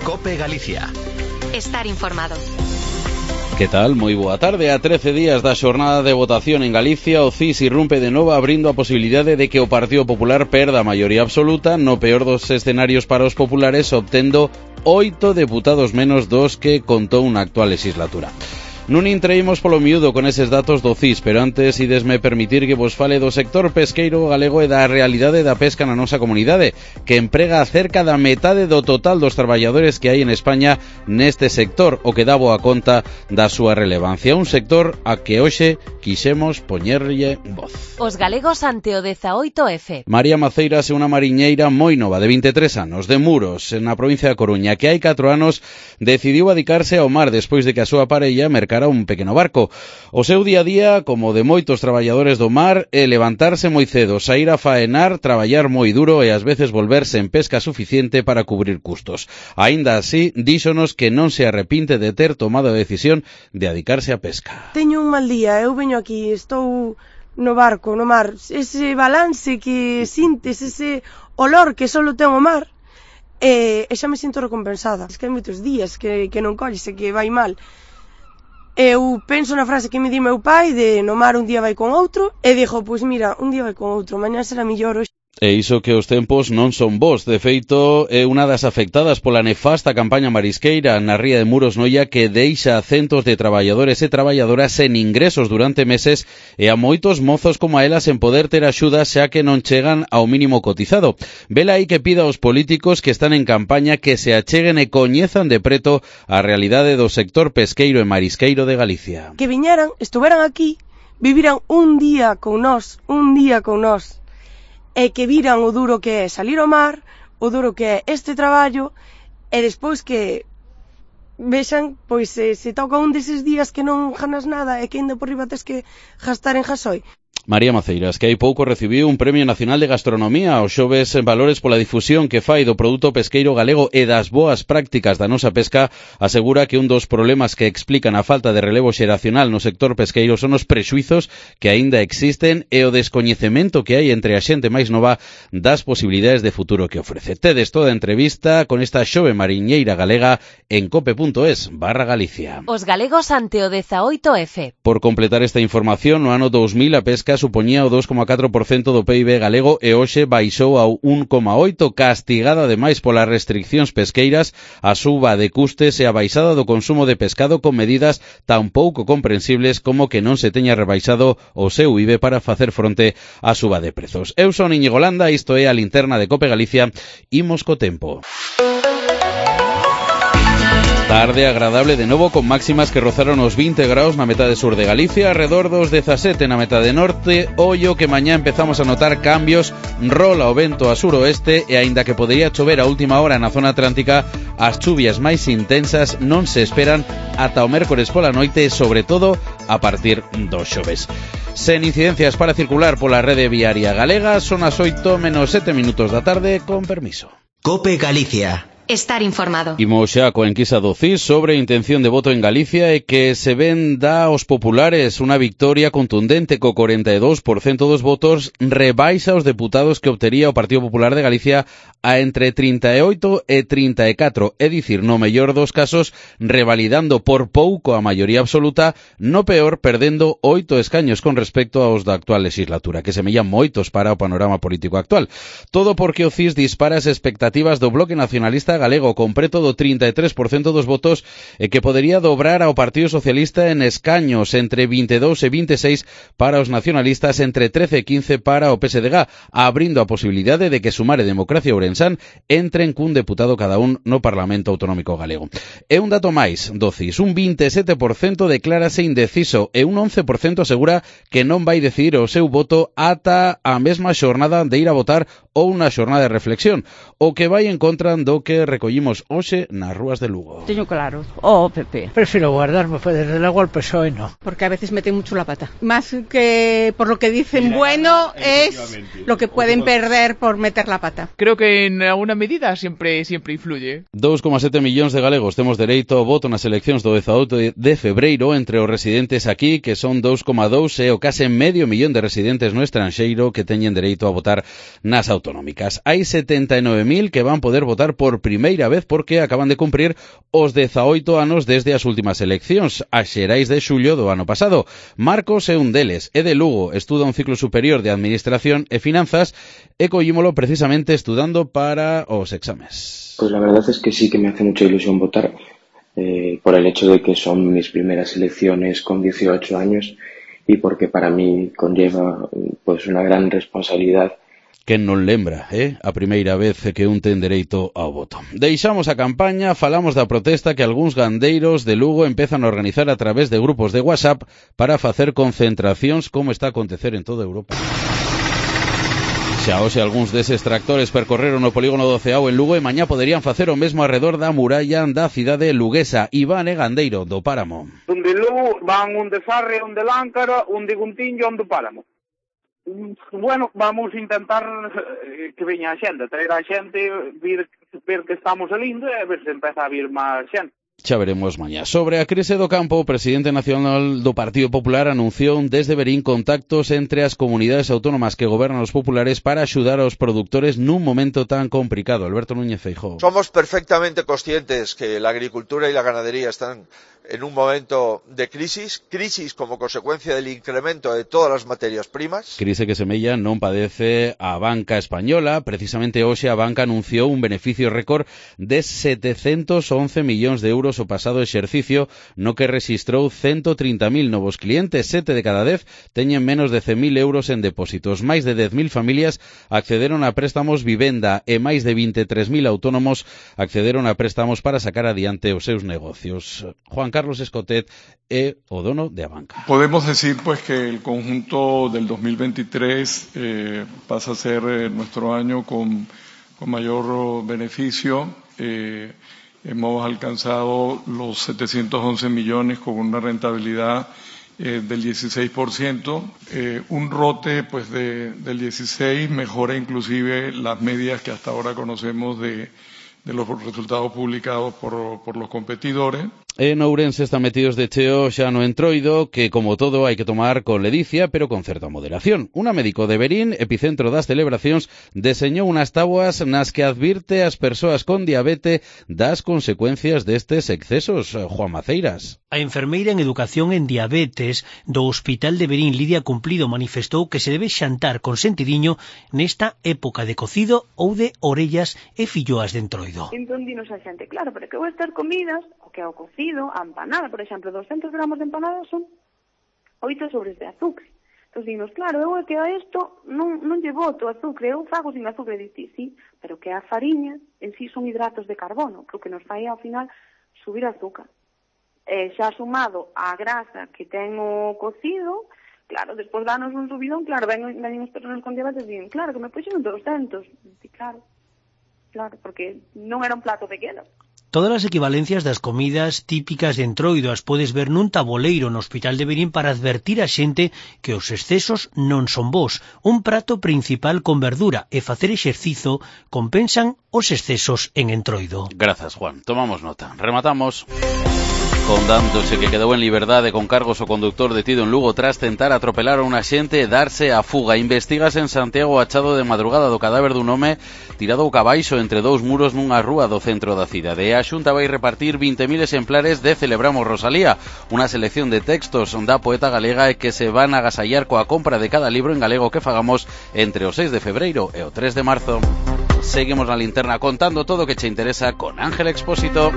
COPE Galicia. Estar informado. Que tal? Moi boa tarde. A 13 días da xornada de votación en Galicia, o CIS irrumpe de novo abrindo a posibilidade de que o Partido Popular perda a maioría absoluta, no peor dos escenarios para os populares, obtendo 8 deputados menos dos que contou na actual legislatura. Nun intreímos polo miúdo con eses datos do CIS, pero antes idesme permitir que vos fale do sector pesqueiro galego e da realidade da pesca na nosa comunidade, que emprega cerca da metade do total dos traballadores que hai en España neste sector, o que dá boa conta da súa relevancia. Un sector a que hoxe quixemos poñerlle voz. Os galegos ante o 18F. María Maceiras é unha mariñeira moi nova, de 23 anos, de Muros, na provincia da Coruña, que hai 4 anos decidiu adicarse ao mar despois de que a súa parella mercara un pequeno barco. O seu día a día, como de moitos traballadores do mar, é levantarse moi cedo, saír a faenar, traballar moi duro e ás veces volverse en pesca suficiente para cubrir custos. Aínda así, díxonos que non se arrepinte de ter tomado a decisión de adicarse á pesca. Teño un mal día, eu veño aquí, estou no barco, no mar, ese balance que sintes, ese olor que só ten o mar, e xa me sinto recompensada. Es que hai moitos días que non colles e que vai mal. Eu penso na frase que me di meu pai de no mar un día vai con outro e dixo, pois mira, un día vai con outro, mañá será mellor hoxe. E iso que os tempos non son bons. De feito, é unha das afectadas pola nefasta campaña marisqueira na ría de Muros Noia que deixa a centos de traballadores e traballadoras sen ingresos durante meses e a moitos mozos como a elas en poder ter axuda xa que non chegan ao mínimo cotizado. Vela aí que pida aos políticos que están en campaña que se acheguen e coñezan de preto a realidade do sector pesqueiro e marisqueiro de Galicia. Que viñeran, estuveran aquí, viviran un día con nós, e que viran o duro que é salir ao mar, o duro que é este traballo, e despois que vexan, pois se toca un deses días que non ganas nada e que ainda por riba tes que gastar en gasoi. María Maceiras, que hai pouco recibiu un Premio Nacional de Gastronomía aos xoves en valores pola difusión que fai do produto pesqueiro galego e das boas prácticas da nosa pesca, asegura que un dos problemas que explican a falta de relevo xeracional no sector pesqueiro son os prexuizos que aínda existen e o descoñecemento que hai entre a xente máis nova das posibilidades de futuro que ofrece. Tedes toda a entrevista con esta xove mariñeira galega en cope.es/Galicia. Os galegos ante o 18F. Por completar esta información, no ano 2000 a pesca supoñía o 2,4% do PIB galego e hoxe baixou ao 1,8%, castigada ademais polas restriccións pesqueiras, a suba de custes e a baixada do consumo de pescado con medidas tan pouco comprensibles como que non se teña rebaixado o seu IBE para facer fronte á suba de prezos. Eu son Íñigo Landa, isto é a linterna de Cope Galicia, imos co tempo. Tarde agradable de novo con máximas que rozaron os 20 graus na metade sur de Galicia, arredor dos 17 na metade norte. Ollo que mañá empezamos a notar cambios, rola o vento a suroeste e aínda que podería chover a última hora na zona atlántica, as chuvias máis intensas non se esperan ata o mércores pola noite e sobre todo a partir dos xoves. Sen incidencias para circular pola rede viaria galega, son as 8:07 da tarde, con permiso. COPE Galicia. Estar informado. Imos xa coa enquisa do CIS sobre intención de voto en Galicia e que se ven dá aos populares unha victoria contundente co 42% dos votos, rebaixa os deputados que obtería o Partido Popular de Galicia a entre 38 e 34, é dicir, no mellor dos casos, revalidando por pouco a maioría absoluta, no peor, perdendo 8 escaños con respecto aos da actual legislatura, que semellan moitos para o panorama político actual. Todo porque o CIS dispara as expectativas do Bloque Nacionalista Galego con preto do 33% dos votos e que podería dobrar ao Partido Socialista en escaños entre 22 e 26 para os nacionalistas, entre 13 e 15 para o PSDG, abrindo a posibilidade de que Sumar e Democracia Ourensán entren cun deputado cada un no Parlamento Autonómico Galego. E un dato máis do CIS, un 27% declárase indeciso e un 11% asegura que non vai decidir o seu voto ata a mesma xornada de ir a votar ou unha xornada de reflexión, o que vai en contra do que recollimos hoxe nas rúas de Lugo. Teño claro, o PP. Prefiero guardarme, pues desde luego el PSOE no. Porque a veces meten mucho la pata. Más que por lo que dicen bueno, es lo que pueden perder por meter la pata. Creo que en alguna medida siempre influye. 2,7 millóns de galegos temos dereito ao voto nas eleccións do 18 de febreiro, entre os residentes aquí, que son 2,2, e o case medio millón de residentes no estranxeiro que teñen dereito a votar nas autonómicas. Hai 79.000 que van poder votar por primeira primeira vez porque acaban de cumprir os 18 anos desde as últimas eleccións, as xerais de xullo do ano pasado. Marcos é un deles, é de Lugo, estuda un ciclo superior de Administración e Finanzas e collímolo precisamente estudando para os exames. Pues la verdad es que sí que me hace mucha ilusión votar por el hecho de que son mis primeras elecciones con 18 años y porque para mí conlleva pues una gran responsabilidad. Quen non lembra, a primeira vez que un ten dereito ao voto. Deixamos a campaña, falamos da protesta que algúns gandeiros de Lugo empezan a organizar a través de grupos de WhatsApp para facer concentracións como está a acontecer en toda Europa. Xa hoxe algúns deses tractores percorreron o polígono do Ceao en Lugo e mañá poderían facer o mesmo arredor da muralla da cidade luguesa. Iván é gandeiro do Páramo. Un de Lugo van un de Sarre, un de Láncara, un de Guntiño e un do Páramo. Bueno, vamos a intentar que veña a xente, traer a xente, ver que estamos salindo e ver se empeza a vir máis xente. Xa veremos mañá. Sobre a crise do campo, o presidente nacional do Partido Popular anunciou desde Verín contactos entre as comunidades autónomas que gobernan os populares para axudar aos produtores nun momento tan complicado. Alberto Núñez Feijóo. Somos perfectamente conscientes que la agricultura y la ganadería están en un momento de crisis como consecuencia del incremento de todas las materias primas. Crise que semella non padece a banca española. Precisamente hoxe a banca anunciou un beneficio récord de 711 millóns de euros o pasado exercicio, no que rexistrou 130.000 novos clientes. 7 de cada 10 teñen menos de 100.000 euros en depósitos. Máis de 10.000 familias accederon a préstamos vivenda e máis de 23.000 autónomos accederon a préstamos para sacar adiante os seus negocios. Juan Carlos Escotet é o dono de a banca. Podemos decir pues que el conjunto del 2023 pasa a ser nuestro año con mayor beneficio. Hemos alcanzado los 711 millones con una rentabilidad del 16%, un rote pues del 16% mejora inclusive las medias que hasta ahora conocemos de los resultados publicados por los competidores. En Ourense están metidos de cheo xa no entroido, que como todo hai que tomar con ledicia, pero con certa moderación. Una médico de Verín, epicentro das celebracións, deseñou unas táboas nas que advirte as persoas con diabete das consecuencias destes excesos. Juan Maceiras. A enfermeira en educación en diabetes do Hospital de Verín, Lidia Cumplido, manifestou que se debe xantar con sentidiño nesta época de cocido ou de orellas e filloas de entroido. Entón dinos a xente, claro, pero que vou estar comidas, o que é o cocido, a empanada, por exemplo, 200 gramos de empanada son 8 sobres de azúcar. Entón dinos, claro, eu é que a isto non lle boto azúcar, eu fago sin azúcar, e dicir, sí, pero que a fariña en sí son hidratos de carbono, que o que nos fai ao final subir azúcar. Xa sumado a grasa que ten o cocido, claro, despois danos un subidón, claro, ven as persoas con diabetes e dicen, claro, que me puxen 200. E claro, porque non era un plato pequeno. Todas as equivalencias das comidas típicas de entroido as podes ver nun taboleiro no Hospital de Verín para advertir a xente que os excesos non son bons. Un prato principal con verdura e facer exercizo compensan os excesos en entroido. Grazas, Juan. Tomamos nota. Rematamos. Condándose que quedou en liberdade con cargos o conductor detido en Lugo tras tentar atropelar a un axente e darse a fuga. Investígase en Santiago o achado de madrugada do cadáver dun home tirado boca abaixo entre dous muros nunha rúa do centro da cidade. A Xunta vai repartir 20.000 exemplares de Celebramos Rosalía, unha selección de textos da poeta galega e que se van a agasallar coa compra de cada libro en galego que fagamos entre o 6 de febreiro e o 3 de marzo. Seguimos na linterna contando todo o que che interesa con Ángel Expósito.